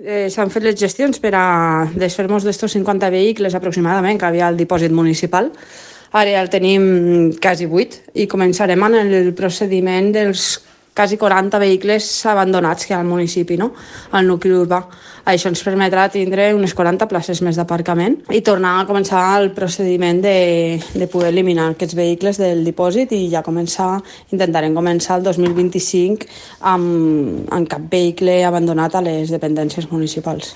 S'han fet les gestions per a desfer-nos d'estos 50 vehicles aproximadament que havia al dipòsit municipal. Ara ja el tenim quasi 8 i començarem en el procediment dels quasi 40 vehicles abandonats que hi ha al municipi, no? Al nucli urbà. Això ens permetrà tindre unes 40 places més d'aparcament i tornar a començar el procediment de poder eliminar aquests vehicles del dipòsit i ja intentarem començar el 2025 amb cap vehicle abandonat a les dependències municipals.